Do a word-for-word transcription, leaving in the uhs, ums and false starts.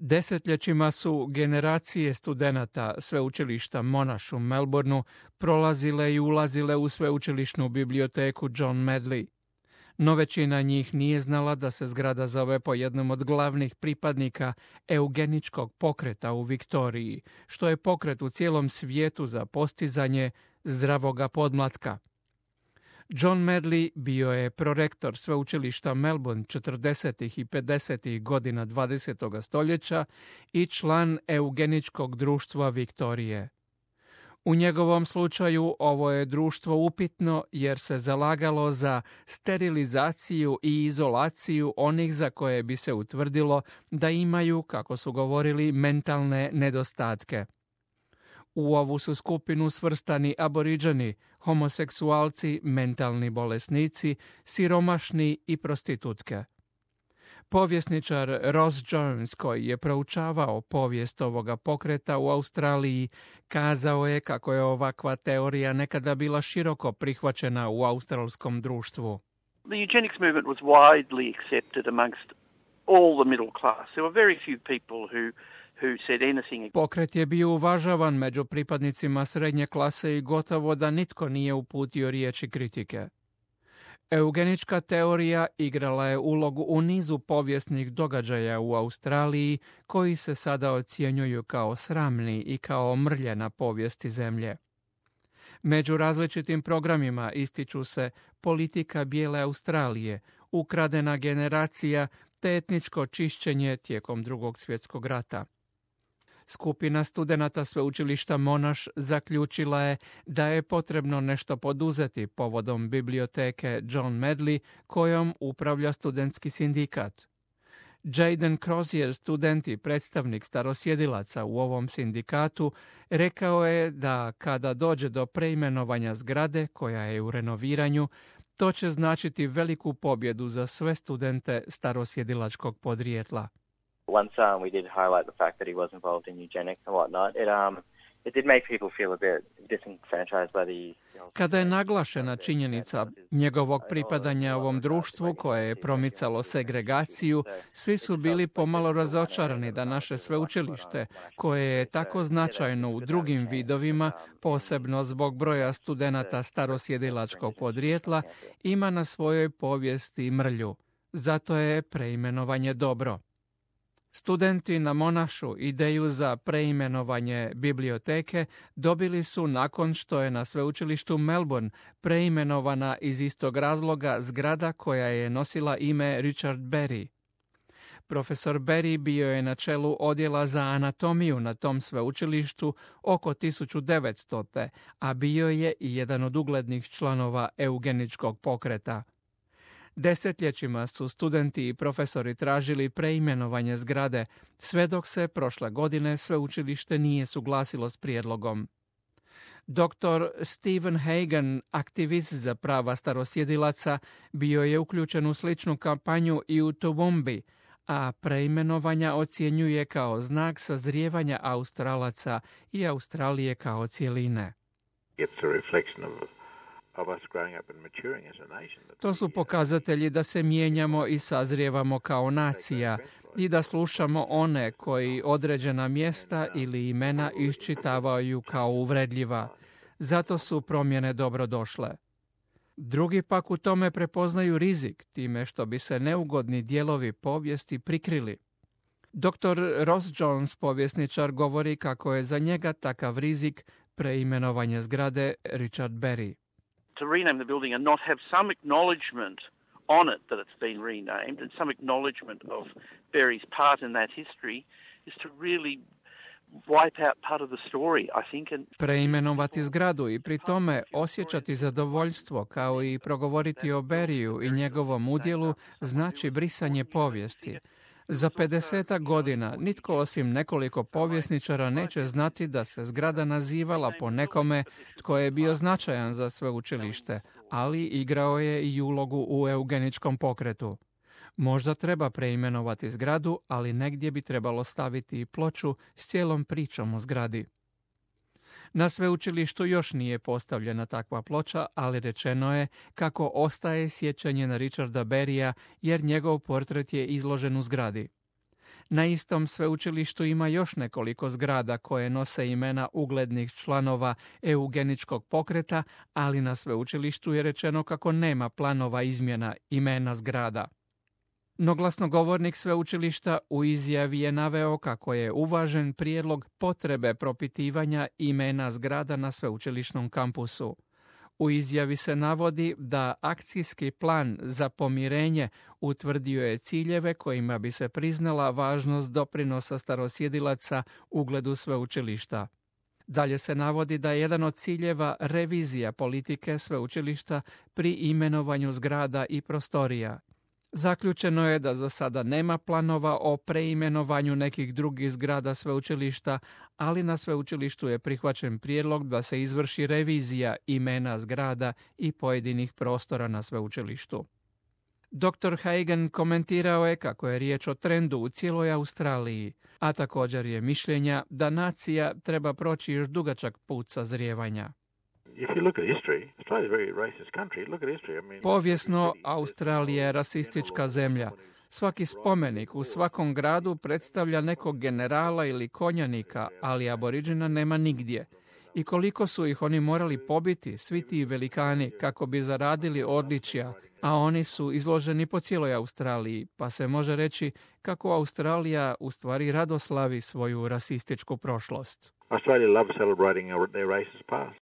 Desetljećima su generacije studenata sveučilišta Monash u Melbourneu prolazile i ulazile u sveučilišnu biblioteku John Medley. No većina njih nije znala da se zgrada zove po jednom od glavnih pripadnika eugeničkog pokreta u Viktoriji, što je pokret u cijelom svijetu za postizanje zdravoga podmlatka. John Medley bio je prorektor sveučilišta Melbourne četrdesetih i pedesetih godina dvadesetog stoljeća i član eugeničkog društva Viktorije. U njegovom slučaju ovo je društvo upitno jer se zalagalo za sterilizaciju i izolaciju onih za koje bi se utvrdilo da imaju, kako su govorili, mentalne nedostatke. U ovu su skupinu svrstani aboriđani, homoseksualci, mentalni bolesnici, siromašni i prostitutke. Povjesničar Ross Jones, koji je proučavao povijest ovoga pokreta u Australiji, kazao je kako je ovakva teorija nekada bila široko prihvaćena u australskom društvu. The eugenics movement was widely accepted amongst all the middle class. There were very few people who who said anything. Pokret je bio uvažavan među pripadnicima srednje klase i gotovo da nitko nije uputio riječi kritike. Eugenička teorija igrala je ulogu u nizu povijesnih događaja u Australiji koji se sada ocjenjuju kao sramni i kao mrlje povijesti zemlje. Među različitim programima ističu se politika bijele Australije, ukradena generacija te etničko čišćenje tijekom Drugog svjetskog rata. Skupina studenata sveučilišta Monash zaključila je da je potrebno nešto poduzeti povodom biblioteke John Medley kojom upravlja studentski sindikat. Jaden Crozier, student i predstavnik starosjedilaca u ovom sindikatu, rekao je da kada dođe do preimenovanja zgrade koja je u renoviranju, to će značiti veliku pobjedu za sve studente starosjedilačkog podrijetla. Once um, we did highlight the fact that he was involved in eugenics and whatnot, it um it did make people feel a bit disenfranchised by the. Kada je naglašena činjenica njegovog pripadanja ovom društvu koje je promicalo segregaciju, svi su bili pomalo razočarani da naše sveučilište, koje je tako značajno u drugim vidovima, posebno zbog broja studenata starosjedilačkog podrijetla, ima na svojoj povijesti mrlju. Zato je preimenovanje dobro. Studenti na Monashu ideju za preimenovanje biblioteke dobili su nakon što je na sveučilištu Melbourne preimenovana iz istog razloga zgrada koja je nosila ime Richard Berry. Profesor Berry bio je na čelu odjela za anatomiju na tom sveučilištu oko tisuću devetstote. a bio je i jedan od uglednih članova eugeničkog pokreta. Desetljećima su studenti i profesori tražili preimenovanje zgrade, sve dok se prošle godine sveučilište nije suglasilo s prijedlogom. doktor Stephen Hagan, aktivist za prava starosjedilaca, bio je uključen u sličnu kampanju i u Toowoomba, a preimenovanja ocjenjuje kao znak sazrijevanja Australaca i Australije kao cjeline. It's a reflection of To su pokazatelji da se mijenjamo i sazrijevamo kao nacija i da slušamo one koji određena mjesta ili imena iščitavaju kao uvredljiva. Zato su promjene dobrodošle. Drugi pak u tome prepoznaju rizik time što bi se neugodni dijelovi povijesti prikrili. doktor Ross Jones, povjesničar, govori kako je za njega takav rizik preimenovanje zgrade Richard Berry. To rename the building and not have some acknowledgement on it that it's been renamed and some acknowledgement of Berry's part in that history is to really wipe out part of the story, I think. And preimenovati zgradu i pri tome osjećati zadovoljstvo kao i progovoriti o Berryu i njegovom udjelu znači brisanje povijesti. Za pedesetak godina nitko osim nekoliko povjesničara neće znati da se zgrada nazivala po nekome tko je bio značajan za sveučilište, ali igrao je i ulogu u eugeničkom pokretu. Možda treba preimenovati zgradu, ali negdje bi trebalo staviti i ploču s cijelom pričom o zgradi. Na sveučilištu još nije postavljena takva ploča, ali rečeno je kako ostaje sjećanje na Richarda Berrya jer njegov portret je izložen u zgradi. Na istom sveučilištu ima još nekoliko zgrada koje nose imena uglednih članova eugeničkog pokreta, ali na sveučilištu je rečeno kako nema planova izmjena imena zgrada. No glasnogovornik sveučilišta u izjavi je naveo kako je uvažen prijedlog potrebe propitivanja imena zgrada na sveučilišnom kampusu. U izjavi se navodi da akcijski plan za pomirenje utvrdio je ciljeve kojima bi se priznala važnost doprinosa starosjedilaca ugledu sveučilišta. Dalje se navodi da je jedan od ciljeva revizija politike sveučilišta pri imenovanju zgrada i prostorija. Zaključeno je da za sada nema planova o preimenovanju nekih drugih zgrada sveučilišta, ali na sveučilištu je prihvaćen prijedlog da se izvrši revizija imena zgrada i pojedinih prostora na sveučilištu. doktor Hagen komentirao je kako je riječ o trendu u cijeloj Australiji, a također je mišljenja da nacija treba proći još dugačak put sazrijevanja. Povijesno, Australija je rasistička zemlja. Svaki spomenik u svakom gradu predstavlja nekog generala ili konjanika, ali aboriđina nema nigdje. I koliko su ih oni morali pobiti, svi ti velikani, kako bi zaradili odličja, a oni su izloženi po cijeloj Australiji, pa se može reći kako Australija u stvari radoslavi svoju rasističku prošlost. Australia loves celebrating their racist past.